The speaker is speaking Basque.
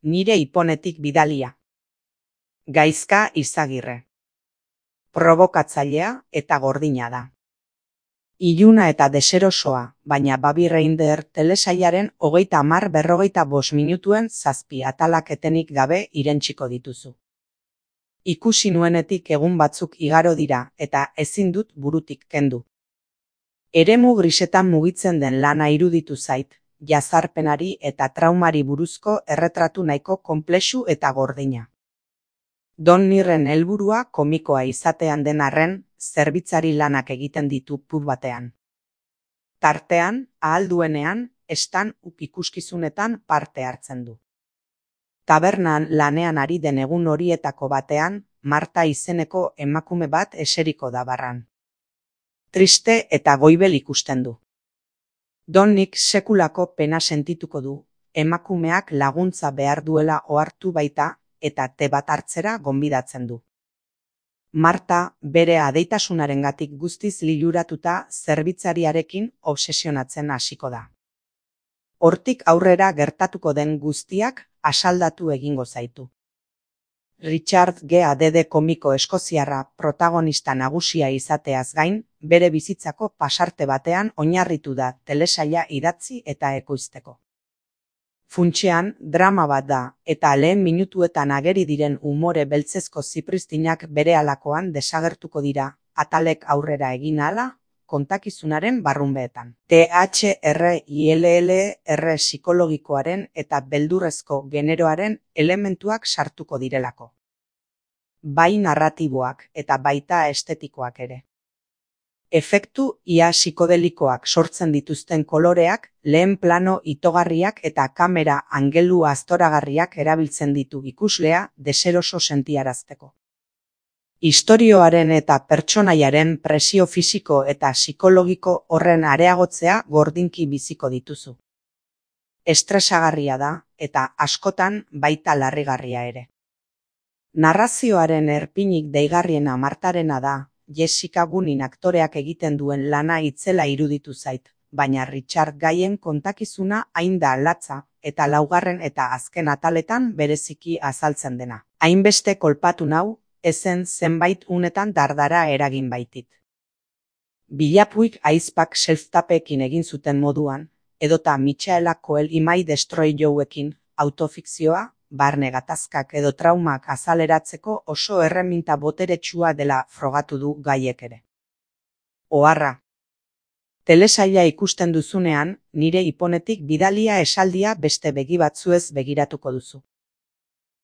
Nire iponetik bidalia. Gaizka Izagirre. Probokatzailea eta gordina da. Iluna eta deserosoa, baina Baby Reindeer telesailaren 30-45 minutuen 7 atalak etenik gabe irentsiko dituzu. Ikusi nuenetik egun batzuk igaro dira eta ezin dut burutik kendu. Eremu grisetan mugitzen den lana iruditu zait, jazarpenari eta traumari buruzko erretratu nahiko konplexu eta gordina. Don Nirren helburua komikoa izatean den arren, zerbitzari lanak egiten ditu pub batean. Tartean, ahal duenean, stand-up ikuskizunetan parte hartzen du. Tabernan lanean ari den egun horietako batean, Marta izeneko emakume bat eseriko da barran. Triste eta goibel ikusten du. Donnik sekulako pena sentituko du, emakumeak laguntza behar duela ohartu baita eta te bat hartzera gonbidatzen du. Marta bere adeitasunarengatik guztiz liluratuta zerbitzariarekin obsesionatzen hasiko da. Hortik aurrera gertatuko den guztiak asaldatu egingo zaitu. Richard G.A.D. komiko eskoziarra protagonista nagusia izateaz gain, bere bizitzako pasarte batean oinarritu da telesaila idatzi eta ekoizteko. Funtsean, drama bat da, eta lehen minutuetan ageri diren umore beltzezko zipristinak berehalakoan desagertuko dira, atalek aurrera egin ahala, kontakizunaren barrunbeetan. THRILLR psikologikoaren eta beldurrezko generoaren elementuak sartuko direlako. Bai narratiboak eta baita estetikoak ere. Efektu ia psikodelikoak sortzen dituzten koloreak, lehen plano itogarriak eta kamera angelu aztoragarriak erabiltzen ditu ikuslea deseroso sentiarazteko. Istorioaren eta pertsonaiaren presio fisiko eta psikologiko horren areagotzea gordinki biziko dituzu. Estresagarria da eta askotan baita larrigarria ere. Narrazioaren erpinik deigarriena Martarena da, Jessica Gunnin aktoreak egiten duen lana itzela iruditu zait, baina Richard Gaien kontakizuna hain da latza eta laugarren eta azken ataletan bereziki azaltzen dena. Hainbeste kolpatu nau, ezen zenbait unetan dardara eragin baitit. Bilapuik aizpak self-tapekin egin zuten moduan, edota Michaela Coel Imai Destroy Youekin, autofikzioa, barne gatazkak edo traumak azaleratzeko oso erreminta boteretsua dela frogatu du Gaiek ere. Oharra. Telesaila ikusten duzunean, nire iponetik bidalia esaldia beste begi batzuez begiratuko duzu.